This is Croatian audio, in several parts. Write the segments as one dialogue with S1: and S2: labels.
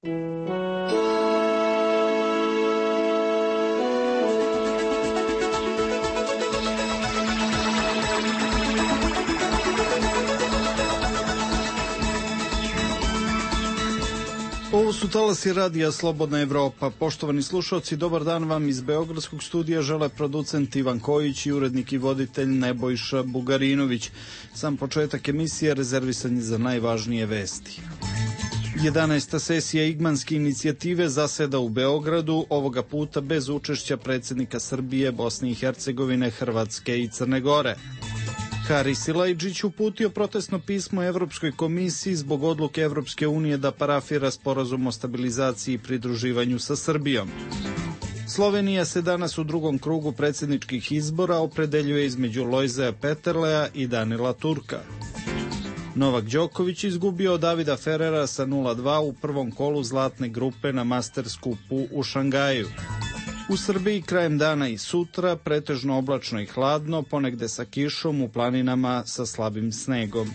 S1: Ovo su talasi radija Slobodna Evropa. Poštovani slušalci, dobar dan vam iz Beogradskog studija žele producent Ivan Kojić i urednik i voditelj Nebojša Bugarinović. Sam početak emisije rezervisan je za najvažnije vesti. 11. sesija Igmanske inicijative zaseda u Beogradu, ovoga puta bez učešća predsjednika Srbije, Bosne i Hercegovine, Hrvatske i Crne Gore. Haris Silajdžić uputio protestno pismo Evropskoj komisiji zbog odluke Evropske unije da parafira sporazum o stabilizaciji i pridruživanju sa Srbijom. Slovenija se danas u drugom krugu predsjedničkih izbora opredeljuje između Lojzea Peterlea i Danila Turka. Novak Đoković izgubio od Davida Ferrera sa 0-2 u prvom kolu zlatne grupe na Masters Cupu u Šangaju. U Srbiji krajem dana i sutra pretežno oblačno i hladno, ponegde sa kišom, u planinama sa slabim snegom.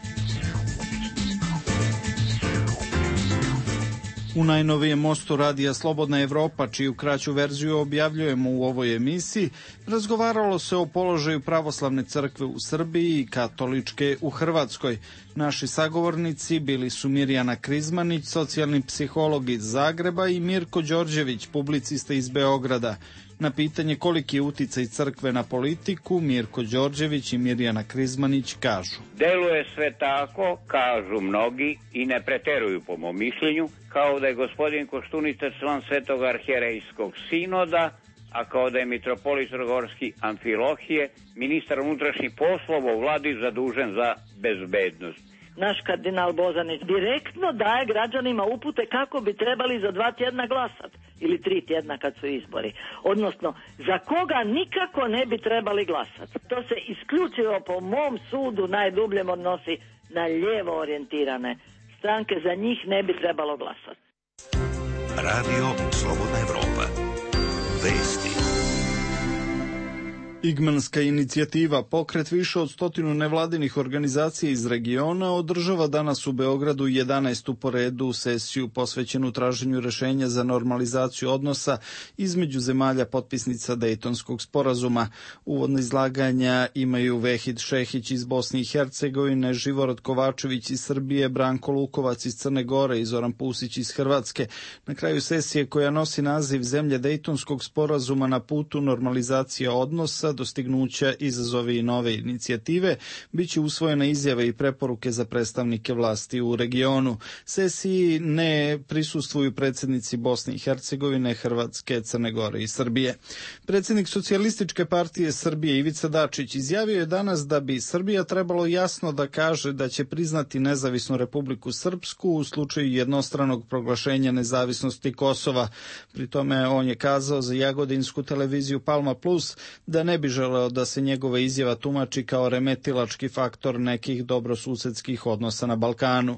S1: U najnovijem mostu radija Slobodna Evropa, čiju kraću verziju objavljujemo u ovoj emisiji, razgovaralo se o položaju pravoslavne crkve u Srbiji i katoličke u Hrvatskoj. Naši sagovornici bili su Mirjana Krizmanić, socijalni psiholog iz Zagreba, i Mirko Đorđević, publicista iz Beograda. Na pitanje koliki je uticaj crkve na politiku, Mirko Đorđević i Mirjana Krizmanić kažu:
S2: deluje sve tako, kažu mnogi, i ne preteruju po mom mišljenju, kao da je gospodin Koštunica član Svetog arhijerejskog sinoda, a kao da je mitropolit Crnogorski Amfilohije, ministar unutrašnjih poslova u vladi zadužen za bezbednost.
S3: Naš kardinal Bozanić direktno daje građanima upute kako bi trebali za 2 tjedna glasati, ili 3 tjedna kad su izbori. Odnosno, za koga nikako ne bi trebali glasati. To se isključivo po mom sudu najdubljem odnosi na lijevo orijentirane stranke, za njih ne bi trebalo glasati.
S4: Radio Slobodna Evropa. Vesti.
S1: Igmanska inicijativa, pokret više od 100 nevladinih organizacija iz regiona, održava danas u Beogradu 11. po redu sesiju posvećenu traženju rešenja za normalizaciju odnosa između zemalja potpisnica Dejtonskog sporazuma. Uvodna izlaganja imaju Vehid Šehić iz Bosne i Hercegovine, Živorad Kovačević iz Srbije, Branko Lukovac iz Crne Gore i Zoran Pusić iz Hrvatske. Na kraju sesije, koja nosi naziv Zemlje Dejtonskog sporazuma na putu normalizacije odnosa, dostignuća, izazovi i nove inicijative, bit će usvojena izjave i preporuke za predstavnike vlasti u regionu. Sesiji ne prisustvuju predsjednici Bosne i Hercegovine, Hrvatske, Crne Gore i Srbije. Predsjednik Socijalističke partije Srbije Ivica Dačić izjavio je danas da bi Srbija trebalo jasno da kaže da će priznati nezavisnu Republiku Srpsku u slučaju jednostranog proglašenja nezavisnosti Kosova. Pri tome on je kazao za jagodinsku televiziju Palma Plus da ne bi želeo da se njegova izjava tumači kao remetilački faktor nekih dobrosusedskih odnosa na Balkanu.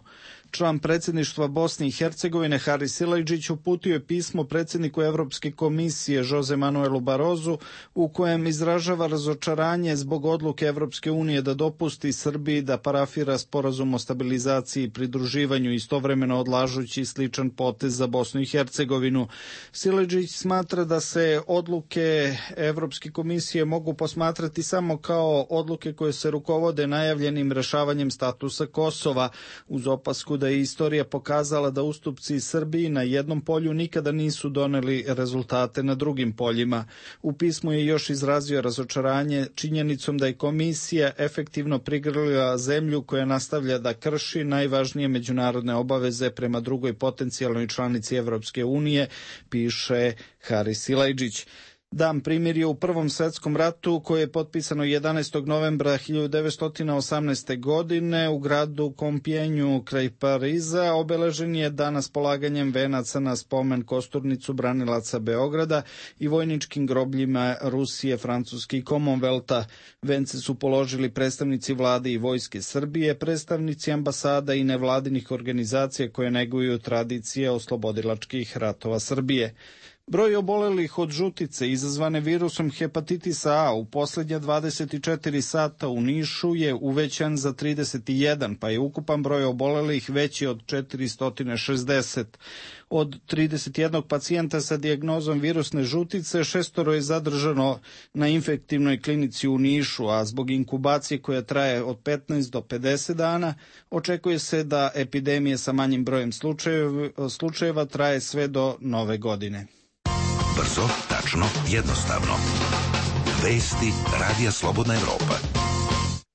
S1: Član predsjedništva Bosne i Hercegovine Haris Silajdžić uputio je pismo predsjedniku Evropske komisije Jose Manuelu Barozu, u kojem izražava razočaranje zbog odluke Evropske unije da dopusti Srbiji da parafira sporazum o stabilizaciji i pridruživanju, istovremeno odlažući sličan potez za Bosnu i Hercegovinu. Silajdžić smatra da se odluke Evropske komisije mogu posmatrati samo kao odluke koje se rukovode najavljenim rešavanjem statusa Kosova, uz opasku da je istorija pokazala da ustupci Srbiji na jednom polju nikada nisu doneli rezultate na drugim poljima. U pismu je još izrazio razočaranje činjenicom da je komisija efektivno prigrlila zemlju koja nastavlja da krši najvažnije međunarodne obaveze prema drugoj potencijalnoj članici Evropske unije, piše Haris Silajdžić. Dan primirja u Prvom svetskom ratu, koje je potpisano 11. novembra 1918. godine u gradu Kompjenju kraj Pariza, obeležen je danas polaganjem venaca na spomen kosturnicu branilaca Beograda i vojničkim grobljima Rusije, Francuske i Commonwealtha. Vence su položili predstavnici vlade i vojske Srbije, predstavnici ambasada i nevladinih organizacija koje neguju tradicije oslobodilačkih ratova Srbije. Broj obolelih od žutice izazvane virusom hepatitisa A u posljednja 24 sata u Nišu je uvećan za 31, pa je ukupan broj obolelih veći od 460. Od 31 pacijenta sa dijagnozom virusne žutice, 6 je zadržano na infektivnoj klinici u Nišu, a zbog inkubacije koja traje od 15 do 50 dana, očekuje se da epidemije sa manjim brojem slučajeva traje sve do nove godine.
S4: Brzo, tačno, jednostavno. Vesti Radija Slobodna Evropa.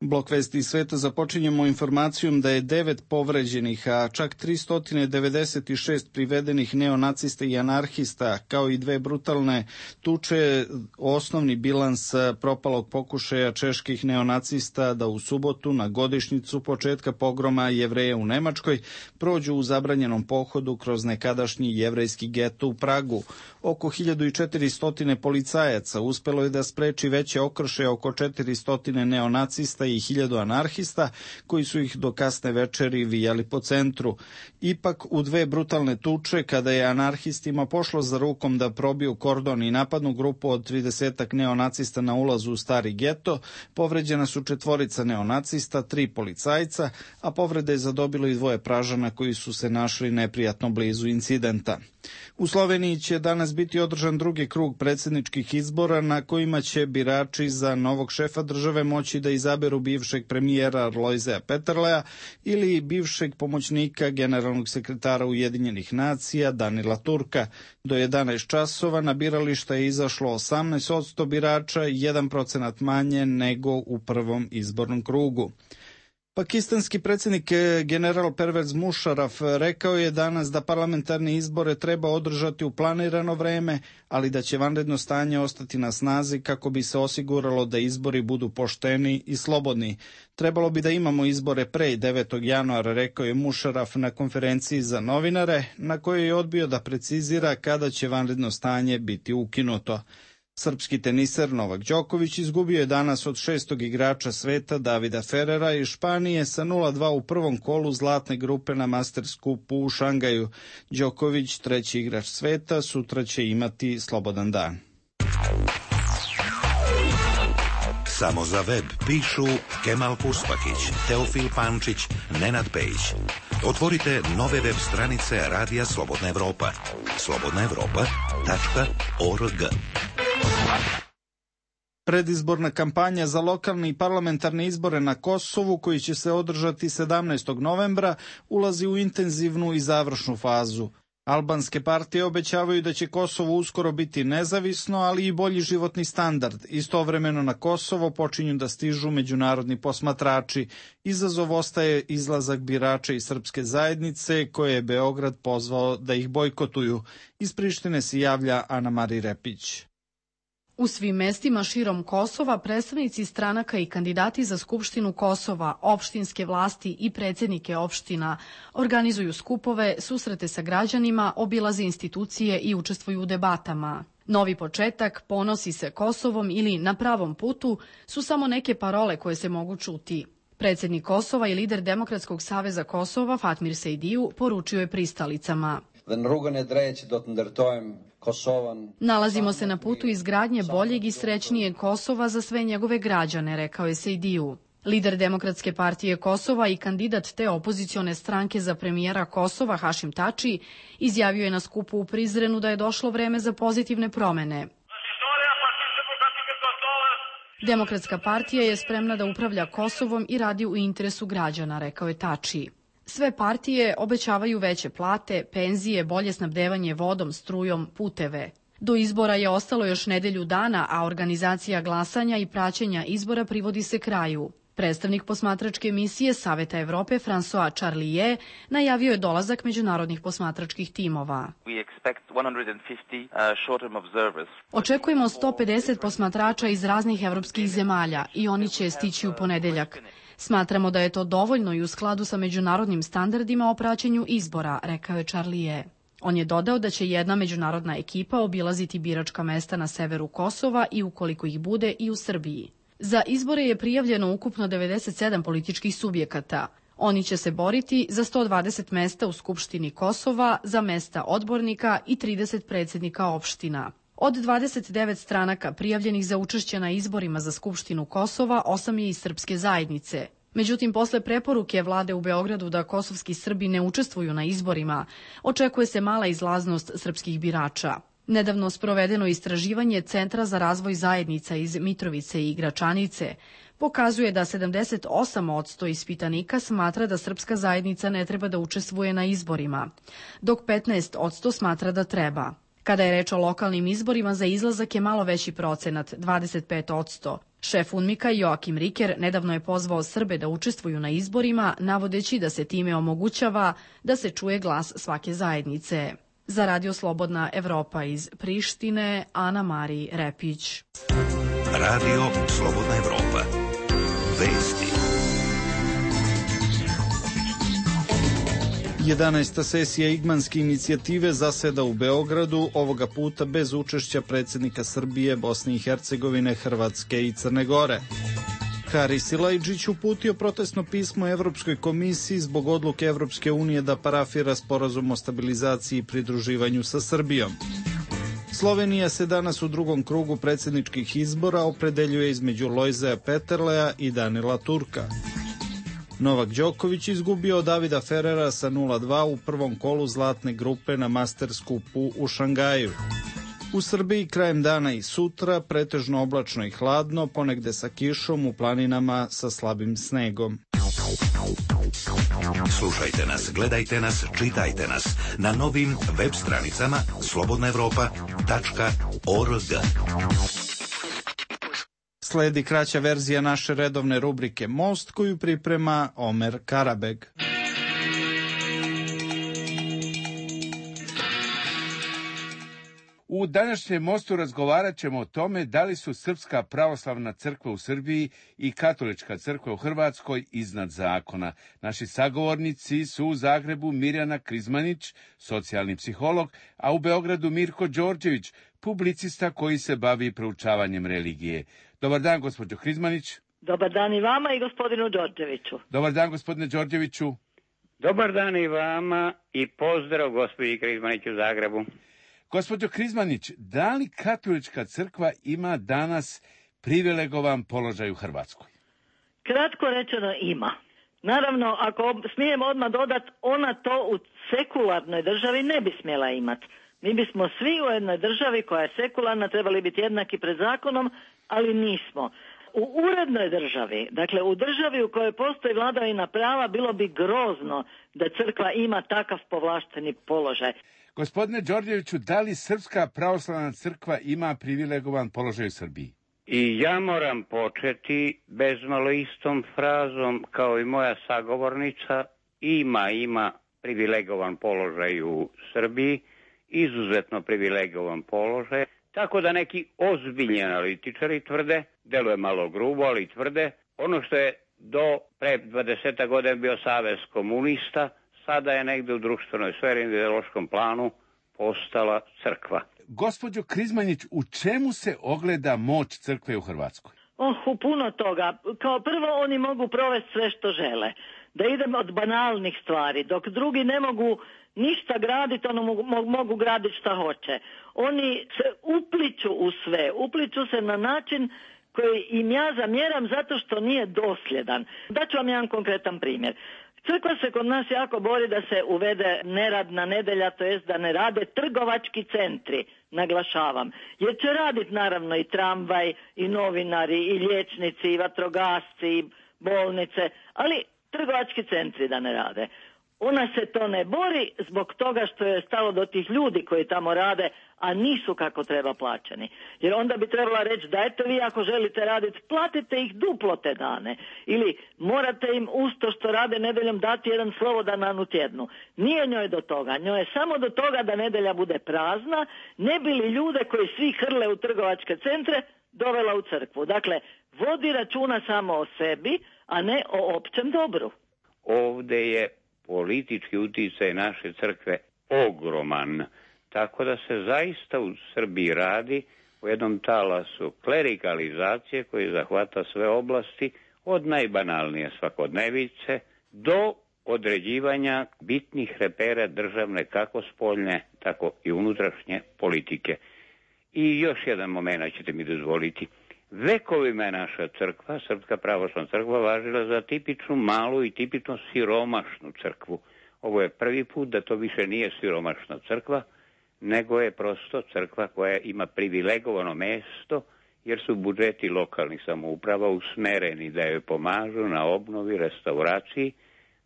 S1: Blok vesti iz sveta započinjemo informacijom da je 9 povređenih, a čak 396 privedenih neonacista i anarhista, kao i 2 brutalne tuče, osnovni bilans propalog pokušaja čeških neonacista da u subotu na godišnjicu početka pogroma Jevreja u Nemačkoj prođu u zabranjenom pohodu kroz nekadašnji jevrejski geto u Pragu. Oko 1400 policajaca uspelo je da spreči veće okršaje oko 400 neonacista i 1000 anarhista koji su ih do kasne večeri vijali po centru. Ipak u 2 brutalne tuče, kada je anarhistima pošlo za rukom da probiju kordon i napadnu grupu od 30 neonacista na ulazu u stari geto, povređena su 4 neonacista, 3 policajca, a povrede je zadobilo i 2 Pražana koji su se našli neprijatno blizu incidenta. U Sloveniji će danas biti održan drugi krug predsjedničkih izbora na kojima će birači za novog šefa države moći da izaberu bivšeg premijera Lojzea Peterleja ili bivšeg pomoćnika generalnog sekretara Ujedinjenih nacija Danila Turka. Do 11 časova na birališta je izašlo 18% birača, 1% manje nego u prvom izbornom krugu. Pakistanski predsjednik general Pervez Musharraf rekao je danas da parlamentarne izbore treba održati u planirano vreme, ali da će vanredno stanje ostati na snazi kako bi se osiguralo da izbori budu pošteni i slobodni. Trebalo bi da imamo izbore pre 9. januara, rekao je Musharraf na konferenciji za novinare, na kojoj je odbio da precizira kada će vanredno stanje biti ukinuto. Srpski teniser Novak Đoković izgubio je danas od 6. igrača sveta Davida Ferrera iz Španije sa 0-2 u prvom kolu zlatne grupe na Masters Cupu u Šangaju. Đoković, 3. igrač sveta, sutra će imati slobodan dan.
S4: Samo za web pišu Kemal Puspakić, Teofil Pančić, Nenad Pejić. Otvorite nove web stranice Radija Slobodna Evropa. slobodnaevropa.org.
S1: Predizborna kampanja za lokalne i parlamentarne izbore na Kosovu, koji će se održati 17. novembra, ulazi u intenzivnu i završnu fazu. Albanske partije obećavaju da će Kosovo uskoro biti nezavisno, ali i bolji životni standard. Istovremeno na Kosovo počinju da stižu međunarodni posmatrači. Izazov ostaje izlazak birača iz srpske zajednice, koje je Beograd pozvao da ih bojkotuju. Iz Prištine se javlja Ana Mari Repić.
S5: U svim mestima širom Kosova predstavnici stranaka i kandidati za Skupštinu Kosova, opštinske vlasti i predsjednike opština organizuju skupove, susrete sa građanima, obilaze institucije i učestvuju u debatama. Novi početak, ponosi se Kosovom ili na pravom putu su samo neke parole koje se mogu čuti. Predsjednik Kosova i lider Demokratskog saveza Kosova Fatmir Sejdiju poručio je pristalicama. Nalazimo se na putu izgradnje boljeg i srećnijeg Kosova za sve njegove građane, rekao je Sejdiju. Lider Demokratske partije Kosova i kandidat te opozicione stranke za premijera Kosova Hašim Tači izjavio je na skupu u Prizrenu da je došlo vreme za pozitivne promene. Demokratska partija je spremna da upravlja Kosovom i radi u interesu građana, rekao je Tači. Sve partije obećavaju veće plate, penzije, bolje snabdevanje vodom, strujom, puteve. Do izbora je ostalo još nedelju dana, a organizacija glasanja i praćenja izbora privodi se kraju. Predstavnik posmatračke misije Saveta Evrope François Charlier najavio je dolazak međunarodnih posmatračkih timova. Očekujemo 150 posmatrača iz raznih evropskih zemalja i oni će stići u ponedeljak. Smatramo da je to dovoljno i u skladu sa međunarodnim standardima o praćenju izbora, rekao je Charlier. On je dodao da će jedna međunarodna ekipa obilaziti biračka mesta na severu Kosova i ukoliko ih bude i u Srbiji. Za izbore je prijavljeno ukupno 97 političkih subjekata. Oni će se boriti za 120 mesta u Skupštini Kosova, za mesta odbornika i 30 predsjednika opština. Od 29 stranaka prijavljenih za učešće na izborima za Skupštinu Kosova, 8 je iz srpske zajednice. Međutim, posle preporuke vlade u Beogradu da kosovski Srbi ne učestvuju na izborima, očekuje se mala izlaznost srpskih birača. Nedavno sprovedeno istraživanje Centra za razvoj zajednica iz Mitrovice i Gračanice pokazuje da 78% ispitanika smatra da srpska zajednica ne treba da učestvuje na izborima, dok 15% smatra da treba. Kada je reč o lokalnim izborima, za izlazak je malo veći procenat, 25%. Šef UNMIK-a Joakim Riker nedavno je pozvao Srbe da učestvuju na izborima, navodeći da se time omogućava da se čuje glas svake zajednice. Za Radio Slobodna Evropa iz Prištine, Ana Mari Repić.
S4: Radio Slobodna Evropa. Vesti.
S1: 11. sesija Igmanske inicijative zaseda u Beogradu, ovoga puta bez učešća predsjednika Srbije, Bosne i Hercegovine, Hrvatske i Crne Gore. Haris Silajđić uputio protestno pismo Evropskoj komisiji zbog odluke Evropske unije da parafira sporazum o stabilizaciji i pridruživanju sa Srbijom. Slovenija se danas u drugom krugu predsjedničkih izbora opredeljuje između Lojzea Peterlea i Danila Turka. Novak Đoković izgubio od Davida Ferrera sa 0-2 u prvom kolu zlatne grupe na Masters Cupu u Šangaju. U Srbiji krajem dana i sutra pretežno oblačno i hladno, ponegde sa kišom, u planinama sa slabim snegom.
S4: Slušajte nas, gledajte nas, čitajte nas na novim web stranicama slobodnaevropa.org.
S1: Sledi kraća verzija naše redovne rubrike Most, koju priprema Omer Karabeg.
S6: U današnjem Mostu razgovarat ćemo o tome da li su Srpska pravoslavna crkva u Srbiji i Katolička crkva u Hrvatskoj iznad zakona. Naši sagovornici su u Zagrebu Mirjana Krizmanić, socijalni psiholog, a u Beogradu Mirko Đorđević, publicista koji se bavi proučavanjem religije. Dobar dan, gospođo Krizmanić.
S3: Dobar dan i vama i gospodinu Đorđeviću.
S6: Dobar dan, gospodine Đorđeviću.
S2: Dobar dan i vama i pozdrav gospođi Krizmanić u Zagrebu.
S6: Gospođo Krizmanić, da li Katolička crkva ima danas privilegovan položaj u Hrvatskoj?
S3: Kratko rečeno ima. Naravno, ako smijem odmah dodati, ona to u sekularnoj državi ne bi smjela imati. Mi bismo svi u jednoj državi koja je sekularna trebali biti jednaki pred zakonom, ali nismo. U urednoj državi, dakle u državi u kojoj postoji vladavina prava, bilo bi grozno da crkva ima takav povlašteni položaj.
S6: Gospodine Đorđeviću, da li Srpska pravoslavna crkva ima privilegovan položaj u Srbiji?
S2: I ja moram početi bezmalo istom frazom kao i moja sagovornica. Ima privilegovan položaj u Srbiji, izuzetno privilegovan položaj, tako da neki ozbiljni analitičari tvrde, deluje malo grubo, ali tvrde, ono što je do pre 20 godina bio savez komunista, sada je negde u društvenoj sferi i ideološkom planu postala crkva.
S6: Gospođo Krizmanić, u čemu se ogleda moć crkve u Hrvatskoj?
S3: U puno toga. Kao prvo, oni mogu provesti sve što žele. Da idem od banalnih stvari, dok drugi ne mogu ništa graditi, ono mogu graditi šta hoće. Oni se upliću u sve, upliću se na način koji im ja zamjeram zato što nije dosljedan. Daću vam jedan konkretan primjer. Crkva se kod nas jako bori da se uvede neradna nedjelja, to jest da ne rade trgovački centri, naglašavam. Jer će raditi naravno i tramvaj, i novinari, i liječnici, i vatrogasci, i bolnice, ali trgovački centri da ne rade. Ona se to ne bori zbog toga što je stalo do tih ljudi koji tamo rade, a nisu kako treba plaćeni. Jer onda bi trebala reći, dajte vi ako želite raditi, platite ih duplo te dane. Ili morate im usto što rade nedeljom dati jedan slobodan dan u tjednu. Nije njoj do toga. Njoj je samo do toga da nedelja bude prazna, ne bi li ljude koji svi hrle u trgovačke centre dovela u crkvu. Dakle, vodi računa samo o sebi, a ne o općem dobru.
S2: Ovde je politički uticaj naše crkve ogroman, tako da se zaista u Srbiji radi o jednom talasu klerikalizacije koji zahvata sve oblasti, od najbanalnije svakodnevice do određivanja bitnih repera državne, kako spoljne, tako i unutrašnje politike. I još jedan moment ćete mi dozvoliti. Vekovima je naša crkva, Srpska pravoslavna crkva, važila za tipičnu malu i tipično siromašnu crkvu. Ovo je prvi put da to više nije siromašna crkva, nego je prosto crkva koja ima privilegovano mesto, jer su budžeti lokalnih samouprava usmereni da joj pomažu na obnovi, restauraciji,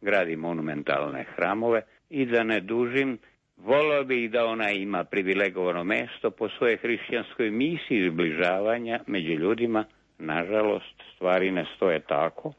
S2: gradi monumentalne hramove i da ne dužim, volio bih da ona ima privilegovano mesto po svojoj hrišćanskoj misiji zbližavanja među ljudima. Nažalost, stvari ne stoje tako.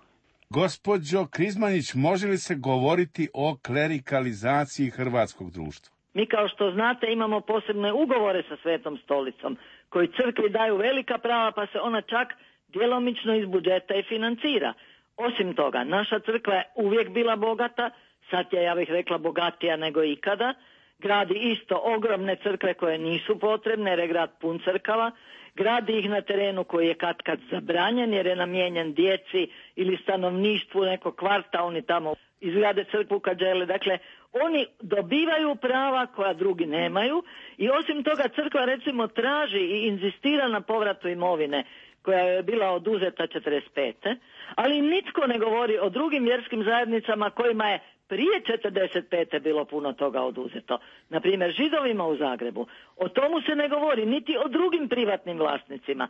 S6: Gospođo Krizmanić, može li se govoriti o klerikalizaciji hrvatskog društva?
S3: Mi, kao što znate, imamo posebne ugovore sa Svetom stolicom koji crkvi daju velika prava, pa se ona čak djelomično iz budžeta i financira. Osim toga, naša crkva je uvijek bila bogata, sad je, ja bih rekla, bogatija nego ikada. Gradi isto ogromne crkve koje nisu potrebne jer je grad pun crkava. Gradi ih na terenu koji je katkad zabranjen jer je namijenjen djeci ili stanovništvu nekog kvarta, oni tamo izgrade crkvu kad žele. Dakle, oni dobivaju prava koja drugi nemaju i osim toga crkva recimo traži i inzistira na povratu imovine koja je bila oduzeta 45. Ali nitko ne govori o drugim vjerskim zajednicama kojima je prije 45. bilo puno toga oduzeto. Naprimjer, Židovima u Zagrebu. O tomu se ne govori, niti o drugim privatnim vlasnicima.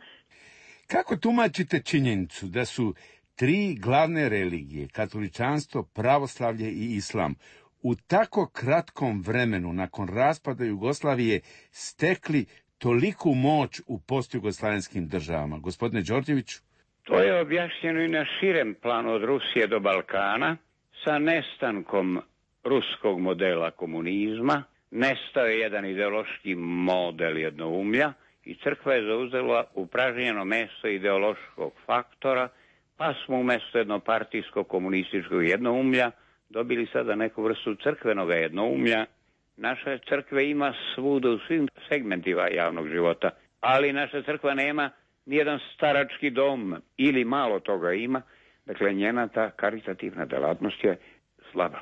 S6: Kako tumačite činjenicu da su tri glavne religije, katoličanstvo, pravoslavlje i islam, u tako kratkom vremenu nakon raspada Jugoslavije stekli toliku moć u postjugoslavenskim državama? Gospodine Đorđeviću?
S2: To je objašnjeno i na širem planu od Rusije do Balkana, sa nestankom ruskog modela komunizma. Nestao je jedan ideološki model jednoumlja i crkva je zauzela upražnjeno mesto ideološkog faktora, pa smo umjesto jednopartijskog komunističkog jednoumlja dobili sada neku vrstu crkvenog jednoumlja. Naša crkva ima svuda u svim segmentima javnog života, ali naša crkva nema nijedan starački dom ili malo toga ima. Dakle, njena ta karitativna delatnost je slaba.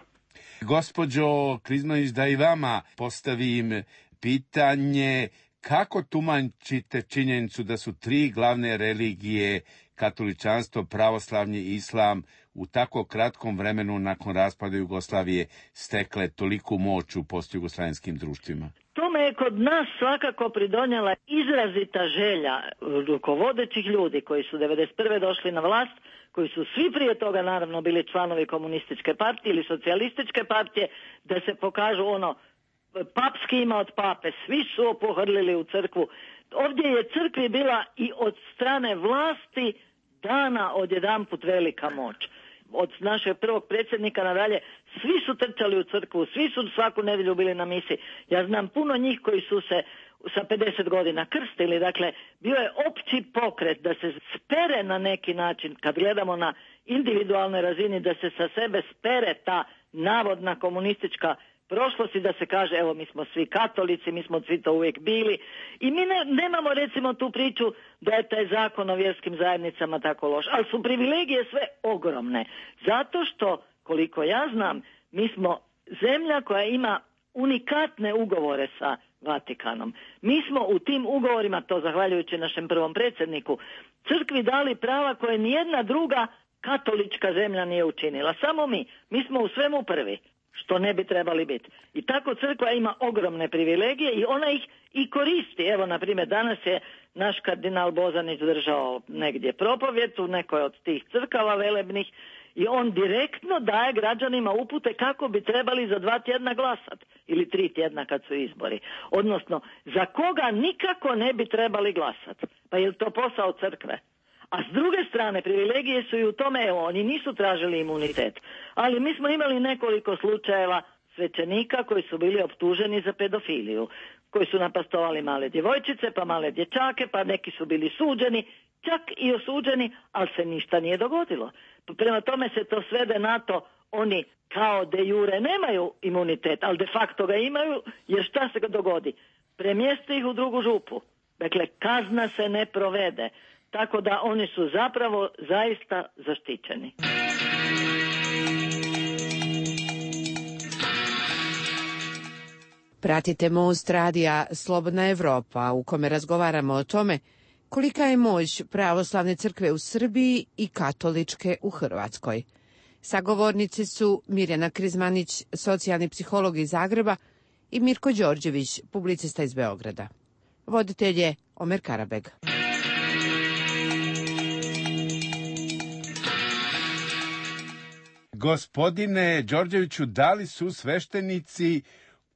S6: Gospođo Krizmanić, da i vama postavim pitanje, kako tumačite činjenicu da su tri glavne religije, katoličanstvo, pravoslavlje i islam, u tako kratkom vremenu nakon raspada Jugoslavije stekle toliku moć u postjugoslavenskim društvima?
S3: Tome je kod nas svakako pridonijela izrazita želja rukovodećih ljudi koji su 1991. došli na vlast, koji su svi prije toga naravno bili članovi komunističke partije ili socijalističke partije, da se pokažu papski ima od pape, svi su opohrlili u crkvu. Ovdje je crkvi bila i od strane vlasti dana odjedanput velika moć. Od našeg prvog predsjednika nadalje svi su trčali u crkvu, svi su svaku nedjelju bili na misi. Ja znam puno njih koji su se sa 50 godina krstili, dakle bio je opći pokret da se spere na neki način, kad gledamo na individualnoj razini, da se sa sebe spere ta navodna komunistička prošlost i da se kaže evo mi smo svi katolici, mi smo svi to uvijek bili i mi nemamo recimo tu priču da je taj zakon o vjerskim zajednicama tako loš, ali su privilegije sve ogromne, zato što koliko ja znam mi smo zemlja koja ima unikatne ugovore sa Vatikanom. Mi smo u tim ugovorima, to zahvaljujući našem prvom predsjedniku, crkvi dali prava koje nijedna druga katolička zemlja nije učinila. Samo mi smo u svemu prvi, što ne bi trebali biti. I tako crkva ima ogromne privilegije i ona ih i koristi. Evo, na primjer, danas je naš kardinal Bozanić držao negdje propovjed u nekoj od tih crkava velebnih i on direktno daje građanima upute kako bi trebali za 2 tjedna glasati ili 3 tjedna kad su izbori. Odnosno, za koga nikako ne bi trebali glasati. Pa je li to posao crkve? A s druge strane, privilegije su i u tome, evo, oni nisu tražili imunitet. Ali mi smo imali nekoliko slučajeva svećenika koji su bili optuženi za pedofiliju, koji su napastovali male djevojčice, pa male dječake, pa neki su bili suđeni, čak i osuđeni, ali se ništa nije dogodilo. Prema tome se to svede na to, oni kao de jure nemaju imunitet, ali de facto ga imaju, jer šta se dogodi? Premjesti ih u drugu župu. Dakle, kazna se ne provede. Tako da oni su zapravo zaista zaštićeni.
S7: Pratite Most radija Slobodna Evropa, u kome razgovaramo o tome kolika je moć pravoslavne crkve u Srbiji i katoličke u Hrvatskoj. Sagovornici su Mirjana Krizmanić, socijalni psiholog iz Zagreba, i Mirko Đorđević, publicista iz Beograda. Voditelj je Omer Karabeg.
S6: Gospodine Đorđeviću, da li su sveštenici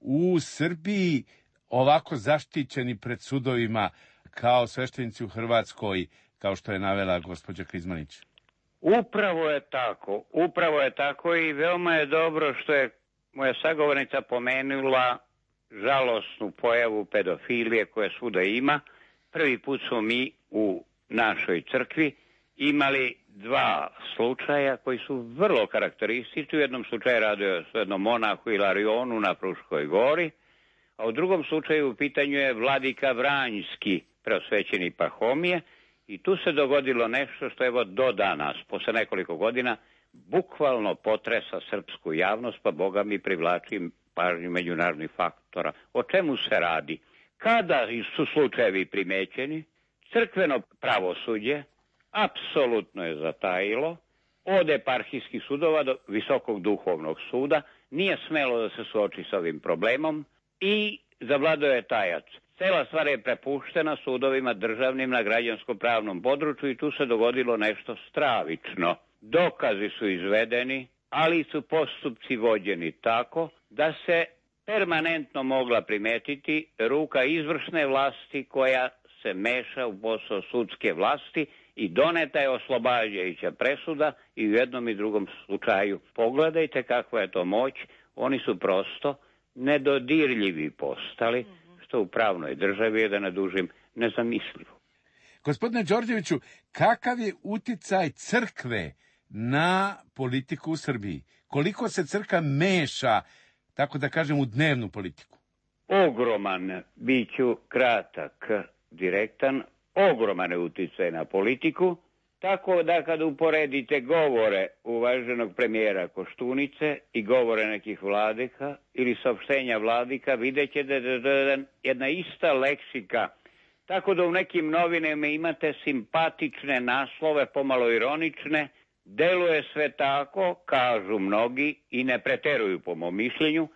S6: u Srbiji ovako zaštićeni pred sudovima kao sveštenici u Hrvatskoj, kao što je navela gospođa Krizmanić?
S2: Upravo je tako i veoma je dobro što je moja sagovornica pomenula žalosnu pojavu pedofilije koje svuda ima. Prvi put smo mi u našoj crkvi imali dva slučaja koji su vrlo karakteristični. U jednom slučaju radio s jednom monahu Ilarionu na Fruškoj gori, a u drugom slučaju u pitanju je vladika Vranjski, preosvećeni Pahomije, i tu se dogodilo nešto što evo do danas, posle nekoliko godina, bukvalno potresa srpsku javnost, pa Boga mi privlači pažnju međunarodnih faktora. O čemu se radi? Kada su slučajevi primećeni, crkveno pravosuđe apsolutno je zatajilo, od eparhijskih sudova do Visokog duhovnog suda, nije smelo da se suoči s ovim problemom i zavladao je tajac. Cela stvar je prepuštena sudovima državnim na građansko-pravnom području i tu se dogodilo nešto stravično. Dokazi su izvedeni, ali su postupci vođeni tako da se permanentno mogla primetiti ruka izvršne vlasti koja se meša u posao sudske vlasti i doneta je oslobađajuća presuda i u jednom i drugom slučaju. Pogledajte kakva je to moć, oni su prosto nedodirljivi postali, što u pravnoj državi je, da ne dužim, nezamislivo.
S6: Gospodine Đorđeviću, kakav je uticaj crkve na politiku u Srbiji? Koliko se crkva meša, tako da kažem, u dnevnu politiku?
S2: Ogroman, bit ću kratak, direktan, ogroman je uticaj na politiku, tako da kad uporedite govore uvaženog premijera Koštunice i govore nekih vladika ili saopštenja vladika, vidjet ćete da je jedna ista leksika, tako da u nekim novinama imate simpatične naslove, pomalo ironične, deluje sve tako, kažu mnogi i ne preteruju po mom mišljenju,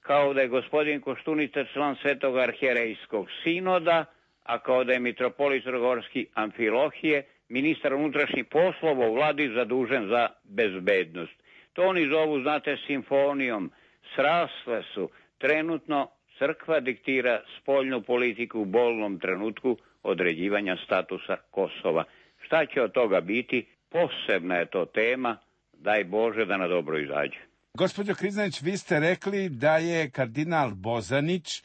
S2: kao da je gospodin Koštunica član Svetog arhijerejskog sinoda, a kao da je mitropolit Crnogorski Amfilohije, ministar unutrašnjih poslova u vladi zadužen za bezbednost. To oni zovu, znate, simfonijom. Srasle su. Trenutno crkva diktira spoljnu politiku u bolnom trenutku određivanja statusa Kosova. Šta će od toga biti? Posebna je to tema. Daj Bože da na dobro izađe.
S6: Gospođo Krizmanić, vi ste rekli da je kardinal Bozanić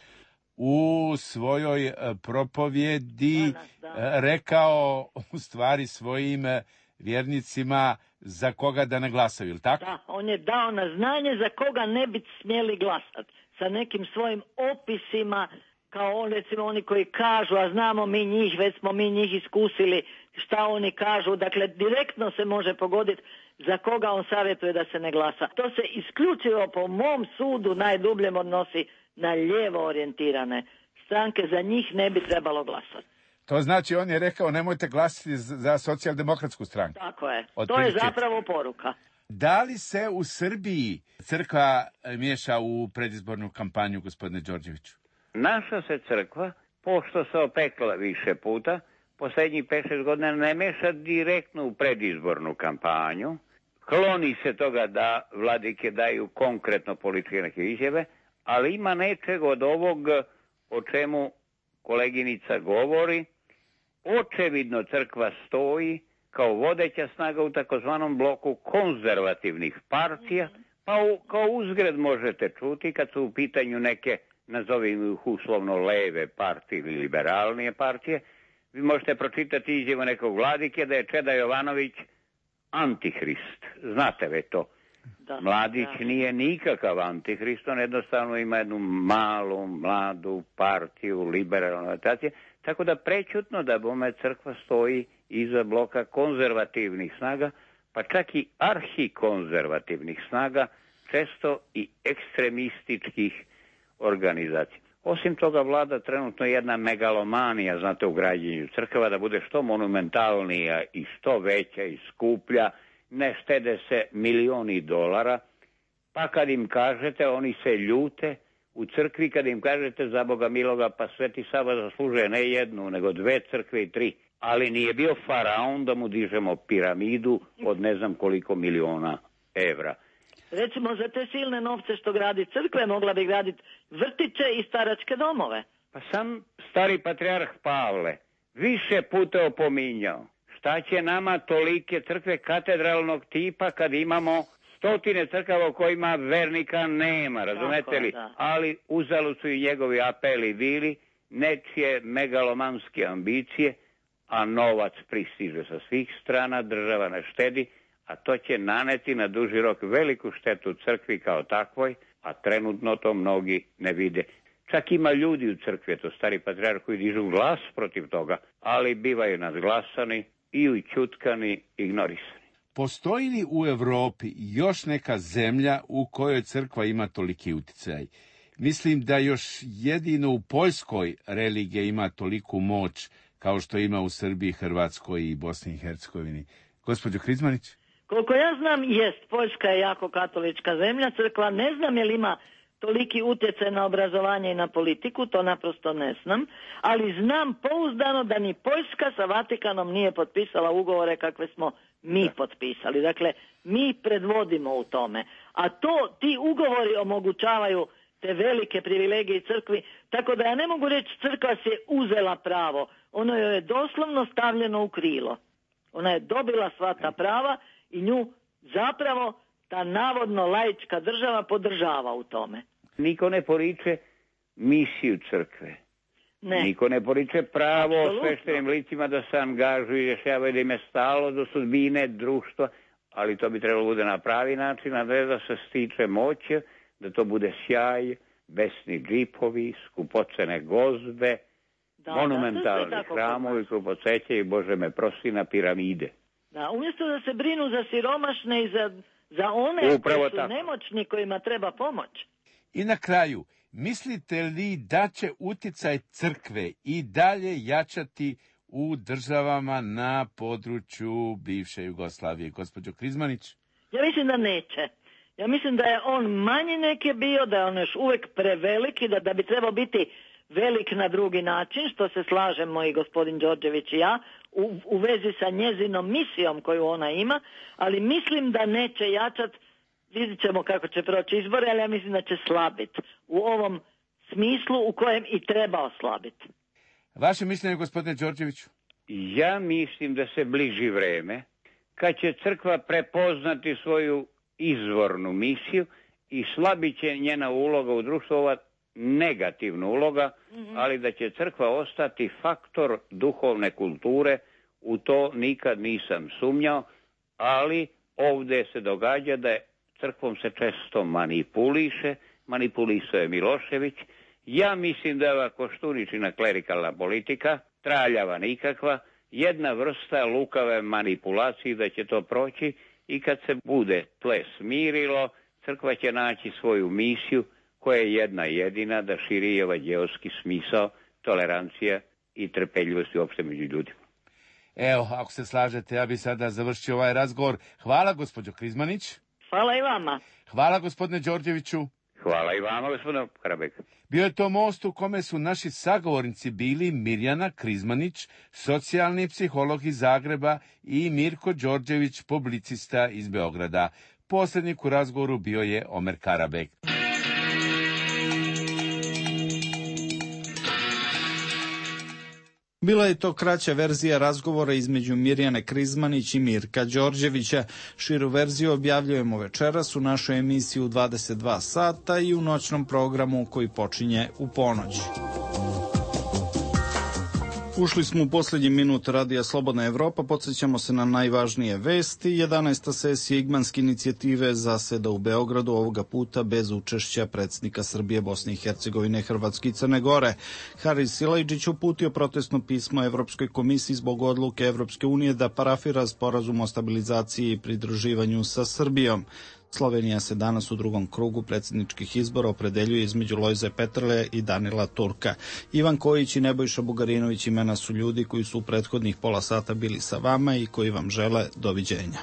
S6: u svojoj propovjedi rekao u stvari svojim vjernicima za koga da ne glasaju, ili tako?
S3: Da, on je dao na znanje za koga ne bi smjeli glasati. Sa nekim svojim opisima, kao recimo oni koji kažu, a znamo mi njih, već smo mi njih iskusili, šta oni kažu. Dakle, direktno se može pogoditi za koga on savjetuje da se ne glasa. To se isključivo po mom sudu najdubljem odnosi na lijevo orijentirane stranke, za njih ne bi trebalo glasati.
S6: To znači on je rekao nemojte glasati za socijaldemokratsku stranku.
S3: Tako je, to je zapravo poruka.
S6: Da li se u Srbiji crkva miješa u predizbornu kampanju, gospodine Đorđeviću?
S2: Naša se crkva, pošto se opekla više puta, posljednjih 5-6 godina ne meša direktno u predizbornu kampanju. Kloni se toga da vladike daju konkretno političke neke izjave, ali ima nečeg od ovog o čemu koleginica govori. Očevidno crkva stoji kao vodeća snaga u takozvanom bloku konzervativnih partija, pa kao uzgred možete čuti kad su u pitanju neke, nazovimo ih uslovno, leve partije ili liberalnije partije, vi možete pročitati izjavu nekog vladike da je Čeda Jovanović antihrist. Znate ve to. Mladić nije nikakav antihrist, on jednostavno ima jednu malu, mladu partiju, liberalnu orientaciju, tako da prećutno da bome crkva stoji iza bloka konzervativnih snaga, pa čak i arhikonzervativnih snaga, često i ekstremističkih organizacije. Osim toga, vlada trenutno jedna megalomanija, znate, u građenju crkava, da bude što monumentalnija i što veća i skuplja, ne štede se milioni dolara, pa kad im kažete, oni se ljute. U crkvi kad im kažete za Boga miloga, pa Sveti Sava zaslužuje ne jednu, nego 2 crkve i 3, ali nije bio faraon da mu dižemo piramidu od ne znam koliko miliona evra.
S3: Recimo, za te silne novce što gradi crkve, mogla bi graditi vrtiće i staračke domove.
S2: Pa sam stari patrijarh Pavle više puta opominjao, šta će nama tolike crkve katedralnog tipa kad imamo stotine crkava u kojima vernika nema, razumete li?
S3: Da.
S2: Ali uzalud su i njegovi apeli bili, nečije megalomanske ambicije, a novac pristiže sa svih strana, država ne štedi, a to će naneti na duži rok veliku štetu crkvi kao takvoj, a trenutno to mnogi ne vide. Čak ima ljudi u crkvi, to stari patrijarh, koji dižu glas protiv toga, ali bivaju nadglasani i ućutkani, ignorisani.
S6: Postoji li u Europi još neka zemlja u kojoj crkva ima toliki uticaj? Mislim da još jedino u Poljskoj religija ima toliku moć kao što ima u Srbiji, Hrvatskoj i Bosni i Hercegovini. Gospođo Krizmanić?
S3: Koliko ja znam, jest, Poljska je jako katolička zemlja, crkva ne znam je li ima toliki utjecaj na obrazovanje i na politiku, to naprosto ne znam, ali znam pouzdano da ni Poljska sa Vatikanom nije potpisala ugovore kakve smo mi potpisali. Dakle, mi predvodimo u tome. A ti ugovori omogućavaju te velike privilegije crkvi, tako da ja ne mogu reći crkva si je uzela pravo. Ono joj je doslovno stavljeno u krilo. Ona je dobila sva ta prava i nju zapravo ta navodno laička država podržava u tome.
S2: Niko ne poriče misiju crkve.
S3: Ne.
S2: Niko ne poriče pravo
S3: Absolutno.
S2: sveštenim licima da se angažuju i rješavaju, da im je stalo do sudbine društva, ali to bi trebalo bude na pravi način, a ne da se stiče moće, da to bude sjaj, besni džipovi, skupocene gozbe, monumentalni hramovi koji podsjećaju, Bože me prosti, na piramide.
S3: Da, umjesto da se brinu za siromašne i za one koji su nemoćni kojima treba pomoć.
S6: I na kraju, mislite li da će utjecaj crkve i dalje jačati u državama na području bivše Jugoslavije? Gospođo Krizmanić?
S3: Ja mislim da neće. Ja mislim da je on manji nek je bio, da je on još uvijek preveliki, da bi trebao biti velik na drugi način, što se slažemo i gospodin Đorđević i ja, u vezi sa njezinom misijom koju ona ima, ali mislim da neće jačati. Vidjet ćemo kako će proći izbore, ali ja mislim da će slabiti u ovom smislu u kojem i treba oslabiti.
S6: Vaše mišljenje, gospodine Đorđeviću?
S2: Ja mislim da se bliži vreme kad će crkva prepoznati svoju izvornu misiju i slabit će njena uloga u društvu, ova negativna uloga, ali da će crkva ostati faktor duhovne kulture, u to nikad nisam sumnjao, ali ovdje se događa da je crkvom se često manipulisao je Milošević. Ja mislim da je ova Koštuničina klerikalna politika, traljava nikakva, jedna vrsta lukave manipulacije, da će to proći i kad se bude tle smirilo, crkva će naći svoju misiju koja je jedna jedina, da širi evanđeoski smisao, tolerancija i trpeljivost uopšte među ljudima.
S6: Evo, ako se slažete, ja bi sada završio ovaj razgovor. Hvala, gospođo Krizmanić.
S3: Hvala i vama.
S6: Hvala, gospodine Đorđeviću.
S2: Hvala i vama, gospodine Karabek.
S6: Bio je to most u kome su naši sagovornici bili Mirjana Krizmanić, socijalni psiholog iz Zagreba, i Mirko Đorđević, publicista iz Beograda. Posrednik u razgovoru bio je Omer Karabek.
S1: Bila je to kraća verzija razgovora između Mirjane Krizmanić i Mirka Đorđevića. Širu verziju objavljujemo večeras u našoj emisiji u 22 sata i u noćnom programu koji počinje u ponoć. Ušli smo u posljednji minut radija Slobodna Evropa, podsjećamo se na najvažnije vesti. 11. sesija Igmanske inicijative zaseda u Beogradu, ovoga puta bez učešća predsjednika Srbije, Bosne i Hercegovine, Hrvatske i Crne Gore. Haris Silajdžić uputio protestno pismo Evropskoj komisiji zbog odluke Evropske unije da parafira sporazum o stabilizaciji i pridruživanju sa Srbijom. Slovenija se danas u drugom krugu predsjedničkih izbora opredeljuje između Lojze Peterle i Danila Turka. Ivan Kojić i Nebojša Bugarinović imena su ljudi koji su u prethodnih pola sata bili sa vama i koji vam žele doviđenja.